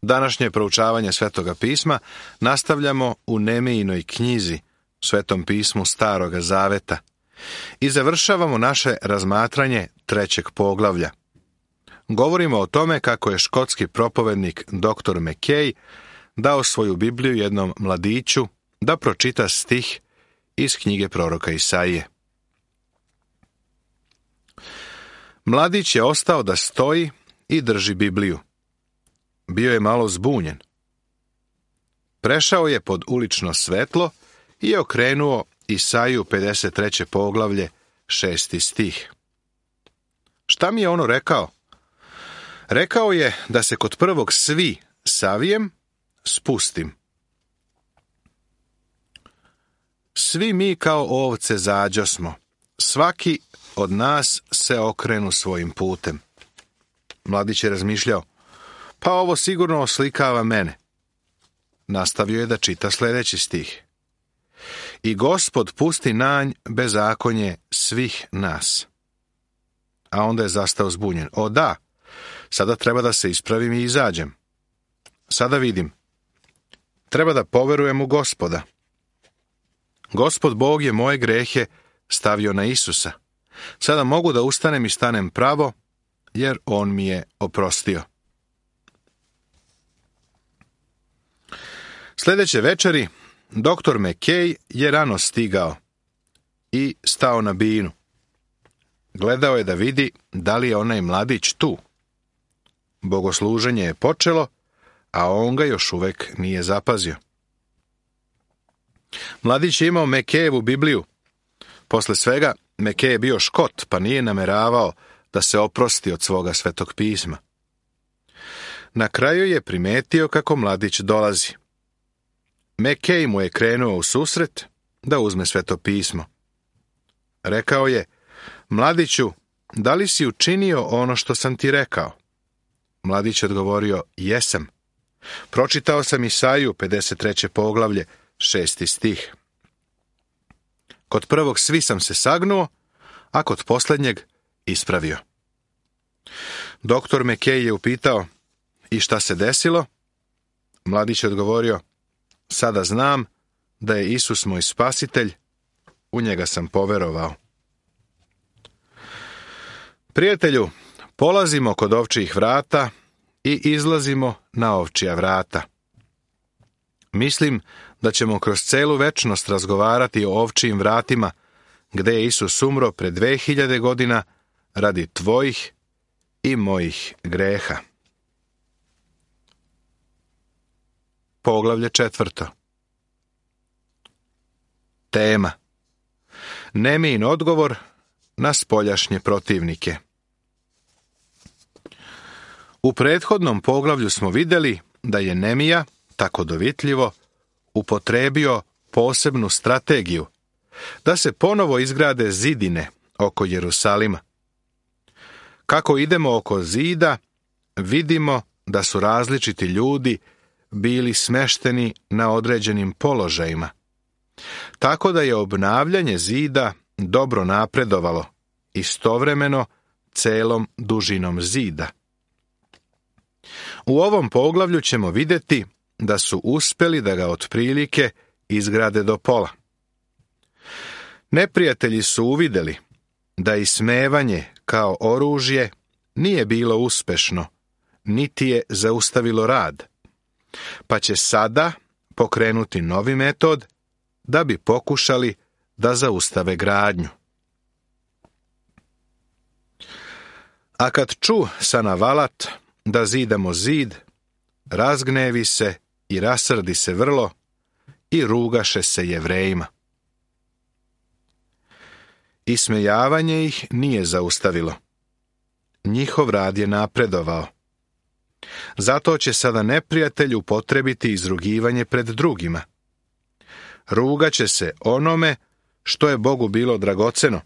Današnje proučavanje Svetoga pisma nastavljamo u Nemijinoj knjizi, Svetom pismu Staroga Zaveta, i završavamo naše razmatranje 3. poglavlja. Govorimo o tome kako je škotski propovednik dr. Mackay dao svoju Bibliju jednom mladiću da pročita stih iz knjige proroka Isaije. Mladić je ostao da stoji i drži Bibliju. Bio je malo zbunjen. Prešao je pod ulično svetlo i okrenuo Isaiju 53. poglavlje, 6. stih. Šta mi je ono rekao? Rekao je da se kod prvog svi savijem, spustim. Svi mi kao ovce zađosmo, svaki od nas se okrenu svojim putem. Mladić je razmišljao, pa ovo sigurno oslikava mene. Nastavio je da čita sljedeći stih. I Gospod pusti na nj bezakonje svih nas. A onda je zastao zbunjen. O da, sada treba da se ispravim i izađem. Sada vidim. Treba da poverujem u Gospoda. Gospod Bog je moje grehe stavio na Isusa. Sada mogu da ustanem i stanem pravo, jer On mi je oprostio. Sljedeće večeri dr. Mackay je rano stigao i stao na binu. Gledao je da vidi da li je onaj mladić tu. Bogosluženje je počelo, a on ga još uvek nije zapazio. Mladić je imao Mackayevu Bibliju. Posle svega, Mackay je bio Škot, pa nije nameravao da se oprosti od svoga Svetog pisma. Na kraju je primetio kako mladić dolazi. Mackay mu je krenuo u susret da uzme Sveto pismo. Rekao je, mladiću, da li si učinio ono što sam ti rekao? Mladić je odgovorio, jesam. Pročitao sam Isaiju 53. poglavlje, 6. stih. Kod prvog svi sam se sagnuo, a kod posljednjeg ispravio. Doktor Mackay je upitao, i šta se desilo? Mladić je odgovorio, sada znam da je Isus moj spasitelj, u njega sam poverovao. Prijatelju, polazimo kod ovčjih vrata i izlazimo na ovčja vrata. Mislim da ćemo kroz celu večnost razgovarati o ovčjim vratima, gde je Isus umro pred 2000 godina radi tvojih i mojih greha. Poglavlje 4. Tema. Nemijin odgovor na spoljašnje protivnike. U prethodnom poglavlju smo vidjeli da je Nemija, tako dovitljivo, upotrebio posebnu strategiju da se ponovo izgrade zidine oko Jerusalima. Kako idemo oko zida, vidimo da su različiti ljudi bili smešteni na određenim položajima, tako da je obnavljanje zida dobro napredovalo, istovremeno celom dužinom zida. U ovom poglavlju ćemo vidjeti da su uspjeli da ga otprilike izgrade do pola. Neprijatelji su uvidjeli da ismevanje kao oružje nije bilo uspešno, niti je zaustavilo rad, pa će sada pokrenuti novi metod da bi pokušali da zaustave gradnju. A kad ču Sanavalat da zidamo zid, razgnevi se i rasrdi se vrlo i rugaše se Jevrejima. Ismejavanje ih nije zaustavilo. Njihov rad je napredovao. Zato će sada neprijatelj upotrebiti izrugivanje pred drugima. Rugaće se onome što je Bogu bilo dragoceno,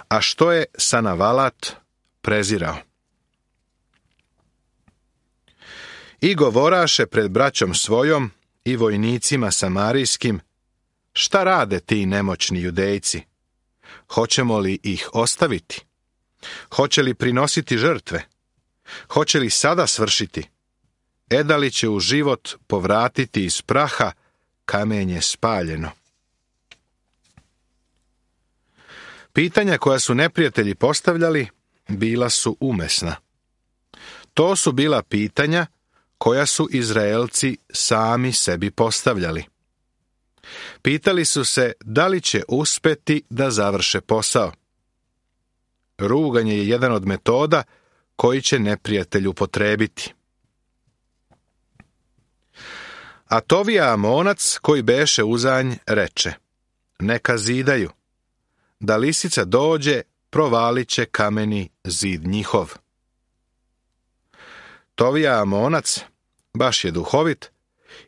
a što je Sanavalat prezirao. I govoraše pred braćom svojom i vojnicima samarijskim, šta rade ti nemoćni Judejci? Hoćemo li ih ostaviti? Hoće li prinositi žrtve? Hoće li sada svršiti? da li će u život povratiti iz praha kamenje spaljeno. Pitanja koja su neprijatelji postavljali bila su umesna. To su bila pitanja koja su Izraelci sami sebi postavljali. Pitali su se da li će uspeti da završe posao. Ruganje je jedan od metoda koji će neprijatelj upotrebiti. A Tovija Amonac, koji beše uzanj, reče: neka zidaju. Da lisica dođe, provalit će kameni zid njihov. Tovija Amonac, baš je duhovit,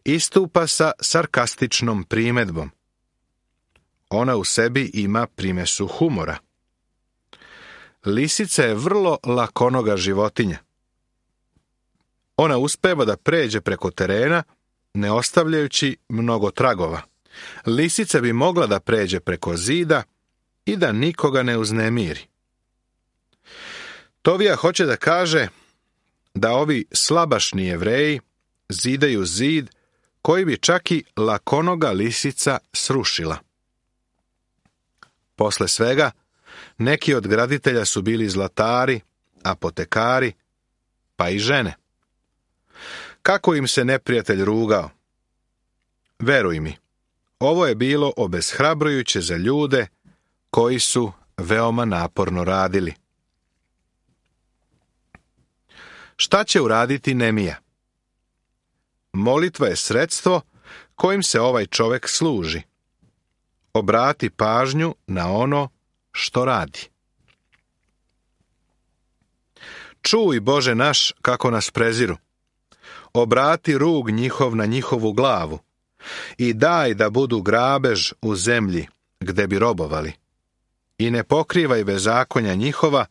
istupa sa sarkastičnom primedbom. Ona u sebi ima primesu humora. Lisica je vrlo lakonoga životinja. Ona uspeva da pređe preko terena, ne ostavljajući mnogo tragova. Lisica bi mogla da pređe preko zida i da nikoga ne uznemiri. Tovija hoće da kaže da ovi slabašni Jevreji zidaju zid koji bi čak i lakonoga lisica srušila. Posle svega, neki od graditelja su bili zlatari, apotekari, pa i žene. Kako im se neprijatelj rugao? Veruj mi, ovo je bilo obeshrabrujuće za ljude koji su veoma naporno radili. Šta će uraditi Nemija? Molitva je sredstvo kojim se ovaj čovek služi. Obrati pažnju na ono što radi. Čuj, Bože naš, kako nas preziru. Obrati rug njihov na njihovu glavu i daj da budu grabež u zemlji gde bi robovali. I ne pokrivaj bezakonja njihova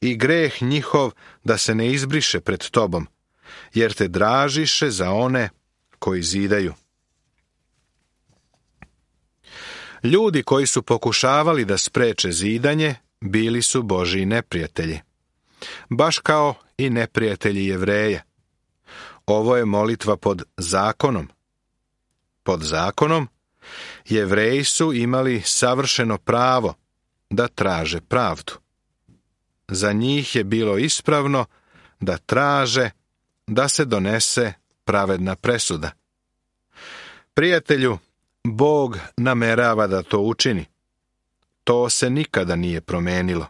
i greh njihov da se ne izbriše pred tobom, jer te dražiše za one koji zidaju. Ljudi koji su pokušavali da spreče zidanje bili su Božji neprijatelji, baš kao i neprijatelji Jevreja. Ovo je molitva pod zakonom. Pod zakonom Jevreji su imali savršeno pravo da traže pravdu. Za njih je bilo ispravno da traže da se donese pravedna presuda. Prijatelju, Bog namerava da to učini. To se nikada nije promenilo.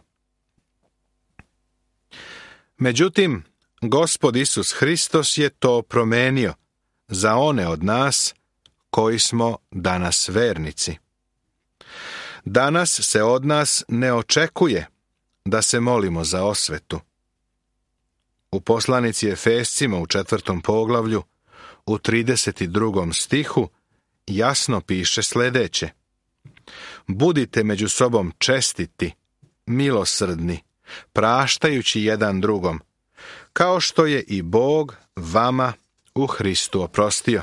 Međutim, Gospod Isus Hristos je to promenio za one od nas koji smo danas vernici. Danas se od nas ne očekuje da se molimo za osvetu. U poslanici Efescima u 4. poglavlju, u 32. stihu, jasno piše sledeće: budite među sobom čestiti, milosrdni, praštajući jedan drugom, kao što je i Bog vama u Hristu oprostio.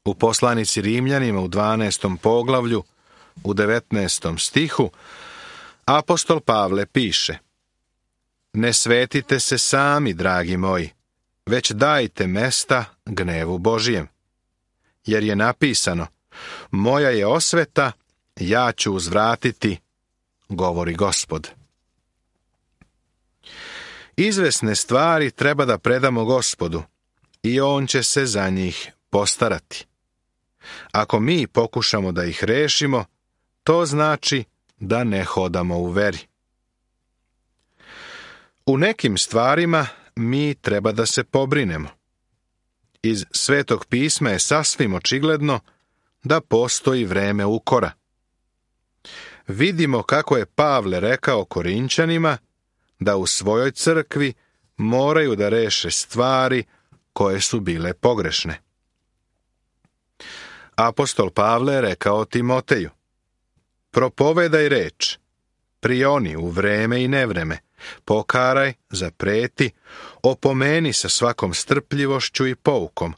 U poslanici Rimljanima u 12. poglavlju, u 19. stihu, apostol Pavle piše: ne svetite se sami, dragi moji, već dajte mesta gnevu Božijem. Jer je napisano: moja je osveta, ja ću uzvratiti, govori Gospod. Izvesne stvari treba da predamo Gospodu i on će se za njih postarati. Ako mi pokušamo da ih rešimo, to znači da ne hodamo u veri. U nekim stvarima mi treba da se pobrinemo. Iz Svetog pisma je sasvim očigledno da postoji vreme ukora. Vidimo kako je Pavle rekao Korinćanima da u svojoj crkvi moraju da reše stvari koje su bile pogrešne. Apostol Pavle je rekao Timoteju: propovedaj reč, prioni u vreme i nevreme, pokaraj, zapreti, opomeni sa svakom strpljivošću i poukom.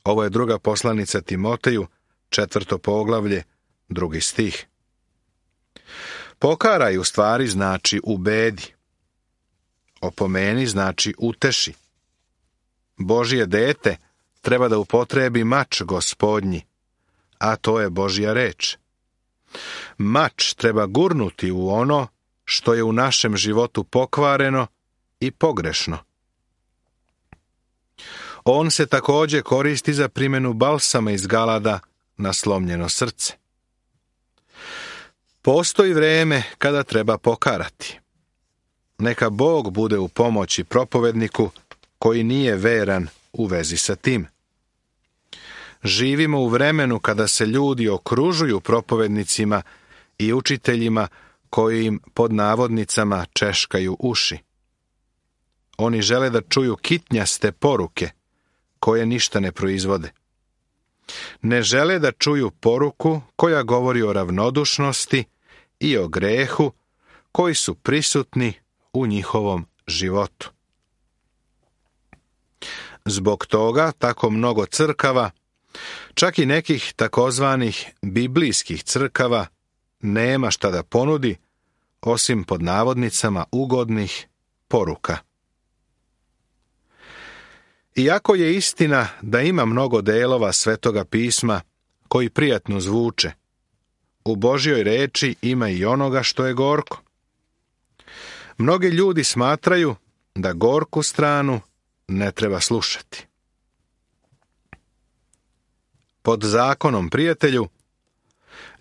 Ovo je druga poslanica Timoteju, 4. poglavlje, 2. stih. Pokaraj u stvari znači ubedi. Opomeni znači uteši. Božje dete treba da upotrebi mač Gospodnji, a to je Božja reč. Mač treba gurnuti u ono što je u našem životu pokvareno i pogrešno. On se također koristi za primjenu balsama iz Galada na slomljeno srce. Postoji vrijeme kada treba pokarati. Neka Bog bude u pomoći propovedniku koji nije veran u vezi sa tim. Živimo u vremenu kada se ljudi okružuju propovednicima i učiteljima koji im pod navodnicama češkaju uši. Oni žele da čuju kitnjaste poruke koje ništa ne proizvode. Ne žele da čuju poruku koja govori o ravnodušnosti i o grehu koji su prisutni u njihovom životu. Zbog toga tako mnogo crkava, čak i nekih takozvanih biblijskih crkava, nema šta da ponudi osim pod navodnicama ugodnih poruka. Iako je istina da ima mnogo delova Svetoga pisma koji prijatno zvuče, u Božjoj reči ima i onoga što je gorko. Mnogi ljudi smatraju da gorku stranu ne treba slušati. Pod zakonom, prijatelju,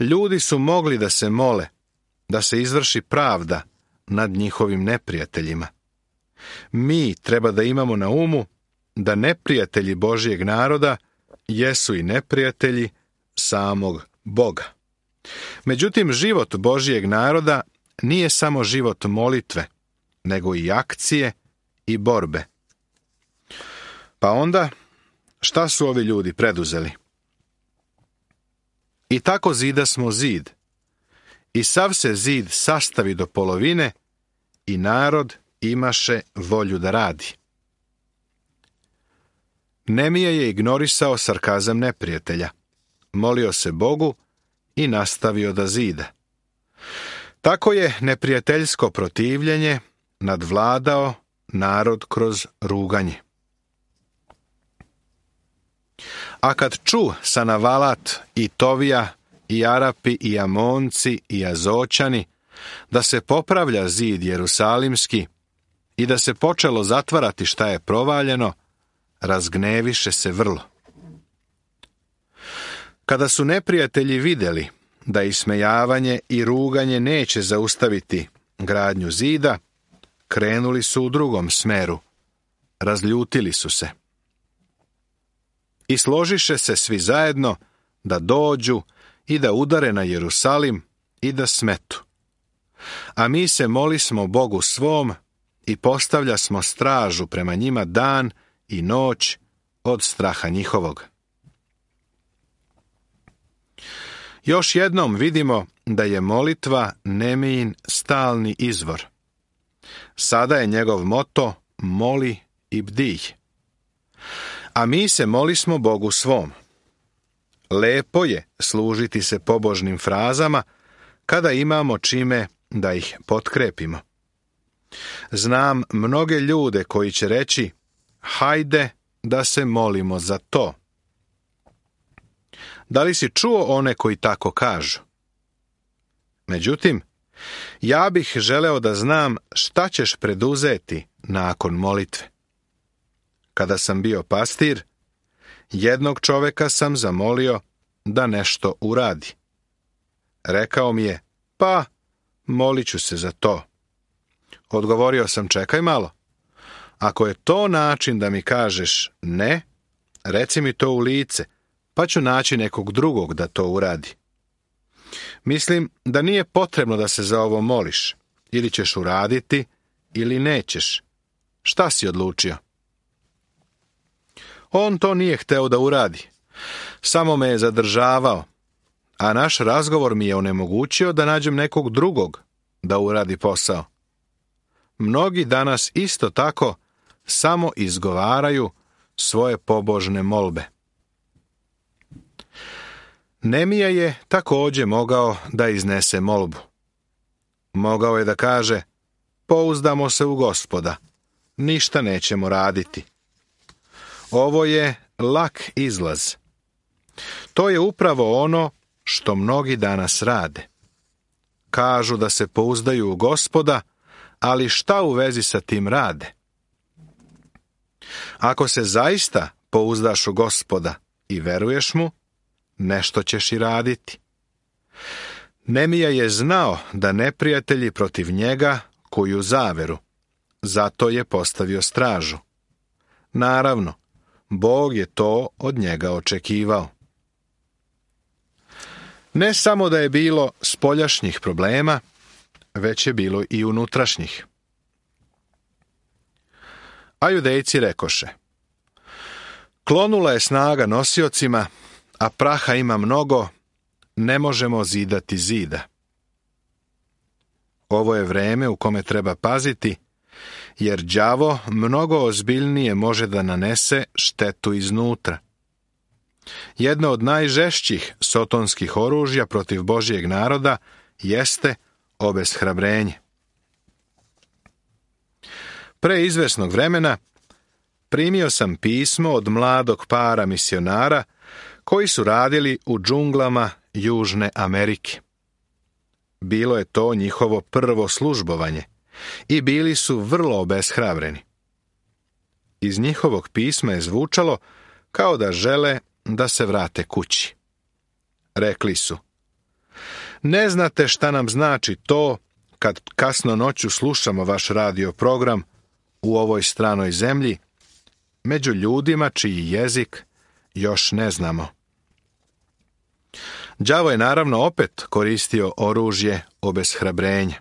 ljudi su mogli da se mole, da se izvrši pravda nad njihovim neprijateljima. Mi treba da imamo na umu da neprijatelji Božjeg naroda jesu i neprijatelji samog Boga. Međutim, život Božjeg naroda nije samo život molitve, nego i akcije i borbe. Pa onda, šta su ovi ljudi preduzeli? I tako zidasmo zid. I sav se zid sastavi do polovine i narod imaše volju da radi. Nemija je ignorisao sarkazam neprijatelja, molio se Bogu i nastavio da zida. Tako je neprijateljsko protivljenje nadvladao narod kroz ruganje. A kad ču Sanavalat i Tovija i Arapi i Amonci i Azoćani da se popravlja zid Jerusalimski i da se počelo zatvarati šta je provaljeno, razgneviše se vrlo. Kada su neprijatelji vidjeli da ismejavanje i ruganje neće zaustaviti gradnju zida, krenuli su u drugom smeru, razljutili su se. I složiše se svi zajedno da dođu i da udare na Jerusalim i da smetu. A mi se molismo Bogu svom i postavljasmo stražu prema njima dan i noć od straha njihovog. Još jednom vidimo da je molitva Nemijin stalni izvor. Sada je njegov moto moli i bdij. A mi se molismo Bogu svom. Lepo je služiti se pobožnim frazama kada imamo čime da ih potkrepimo. Znam mnoge ljude koji će reći, hajde da se molimo za to. Da li si čuo one koji tako kažu? Međutim, ja bih želeo da znam šta ćeš preduzeti nakon molitve. Kada sam bio pastir, jednog čoveka sam zamolio da nešto uradi. Rekao mi je, pa, molit ću se za to. Odgovorio sam, čekaj malo. Ako je to način da mi kažeš ne, reci mi to u lice, pa ću naći nekog drugog da to uradi. Mislim da nije potrebno da se za ovo moliš. Ili ćeš uraditi, ili nećeš. Šta si odlučio? On to nije hteo da uradi. Samo me je zadržavao, a naš razgovor mi je onemogućio da nađem nekog drugog da uradi posao. Mnogi danas isto tako samo izgovaraju svoje pobožne molbe. Nemija je također mogao da iznese molbu. Mogao je da kaže, pouzdamo se u Gospoda, ništa nećemo raditi. Ovo je lak izlaz. To je upravo ono što mnogi danas rade. Kažu da se pouzdaju u Gospoda, ali šta u vezi sa tim rade? Ako se zaista pouzdaš u Gospoda i veruješ mu, nešto ćeš i raditi. Nemija je znao da neprijatelji protiv njega kuju zaveru, zato je postavio stražu. Naravno, Bog je to od njega očekivao. Ne samo da je bilo spoljašnjih problema, već je bilo i unutrašnjih. A Judejci rekoše: klonula je snaga nosiocima, a praha ima mnogo, ne možemo zidati zida. Ovo je vreme u kome treba paziti, jer đavo mnogo ozbiljnije može da nanese štetu iznutra. Jedno od najžešćih sotonskih oružja protiv Božjeg naroda jeste obeshrabrenje. Pre izvesnog vremena primio sam pismo od mladog para misionara koji su radili u džunglama Južne Amerike. Bilo je to njihovo prvo službovanje i bili su vrlo obeshrabreni. Iz njihovog pisma je zvučalo kao da žele da se vrate kući. Rekli su: ne znate šta nam znači to kad kasno noću slušamo vaš radio program u ovoj stranoj zemlji, među ljudima čiji jezik još ne znamo. Đavo je naravno opet koristio oružje obeshrabrenja.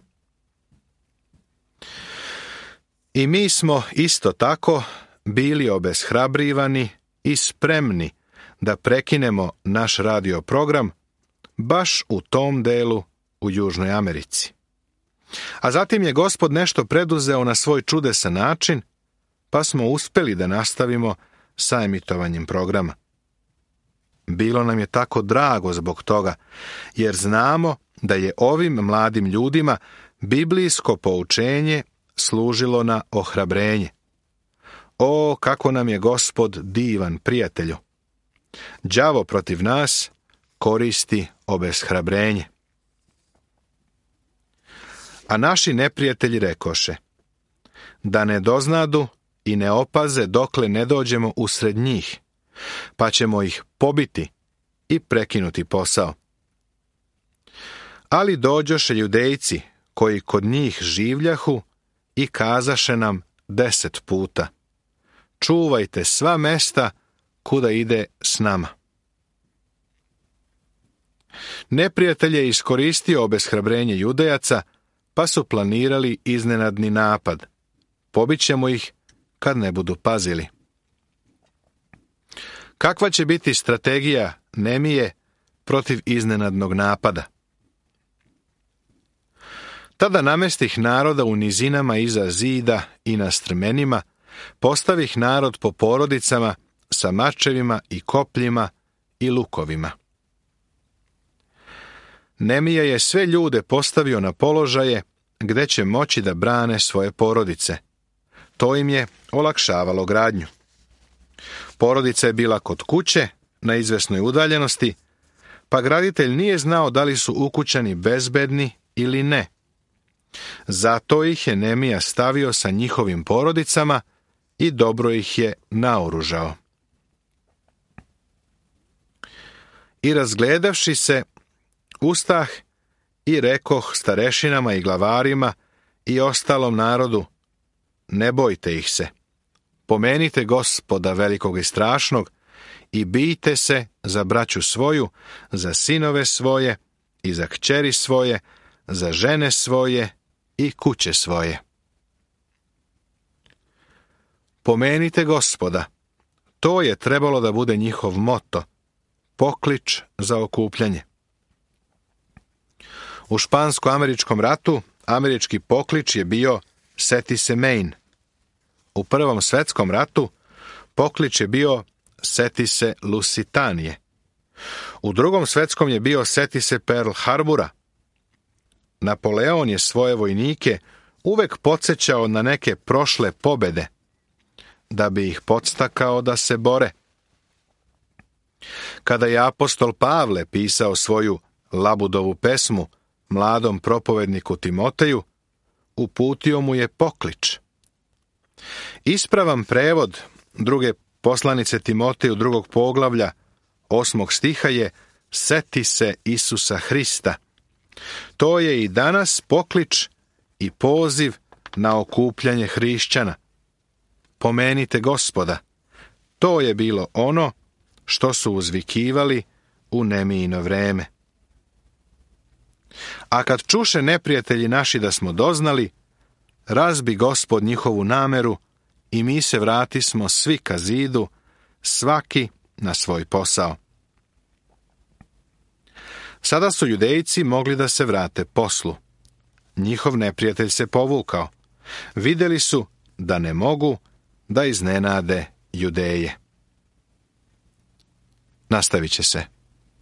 I mi smo isto tako bili obeshrabrivani i spremni da prekinemo naš radio program baš u tom delu u Južnoj Americi. A zatim je Gospod nešto preduzeo na svoj čudesan način, pa smo uspeli da nastavimo sa emitovanjem programa. Bilo nam je tako drago zbog toga, jer znamo da je ovim mladim ljudima biblijsko poučenje služilo na ohrabrenje. O, kako nam je Gospod divan, prijatelju! Đavo protiv nas koristi obeshrabrenje. A naši neprijatelji rekoše: da ne doznadu i ne opaze dokle ne dođemo usred njih, pa ćemo ih pobiti i prekinuti posao. Ali dođoše Judejci koji kod njih življahu i kazaše nam 10 puta: čuvajte sva mesta kuda ide s nama. Neprijatelj je iskoristio obeshrabrenje Judejaca, pa su planirali iznenadni napad. Pobićemo ih kad ne budu pazili. Kakva će biti strategija Nemije protiv iznenadnog napada? Tada namestih naroda u nizinama iza zida i na strmenima, postavih narod po porodicama sa mačevima i kopljima i lukovima. Nemija je sve ljude postavio na položaje gde će moći da brane svoje porodice. To im je olakšavalo gradnju. Porodica je bila kod kuće, na izvesnoj udaljenosti, pa graditelj nije znao da li su ukućani bezbedni ili ne. Zato ih je Nemija stavio sa njihovim porodicama i dobro ih je naoružao. I razgledavši se, ustah i rekoh starešinama i glavarima i ostalom narodu: ne bojte ih se, pomenite Gospoda velikog i strašnog i bijte se za braću svoju, za sinove svoje i za kćeri svoje, za žene svoje i kuće svoje. Pomenite Gospoda, to je trebalo da bude njihov moto, poklič za okupljanje. U Špansko-američkom ratu američki poklič je bio Seti se Maine. U Prvom svetskom ratu poklič je bio Seti se Lusitanije. U Drugom svetskom je bio Seti se Pearl Harbora. Napoleon je svoje vojnike uvek podsjećao na neke prošle pobede. da bi ih podstakao da se bore. Kada je apostol Pavle pisao svoju Labudovu pesmu mladom propovedniku Timoteju, uputio mu je poklič. Ispravan prevod druge poslanice Timoteju 2. poglavlja 8. stiha je: seti se Isusa Hrista. To je i danas poklič i poziv na okupljanje hrišćana. Pomenite Gospoda. To je bilo ono što su uzvikivali u Nemijino vreme. A kad čuše neprijatelji naši da smo doznali, razbi Gospod njihovu nameru i mi se vratismo svi ka zidu, svaki na svoj posao. Sada su Judejci mogli da se vrate poslu. Njihov neprijatelj se povukao. Vidjeli su da ne mogu da iznenade Judeje. Nastavit će se.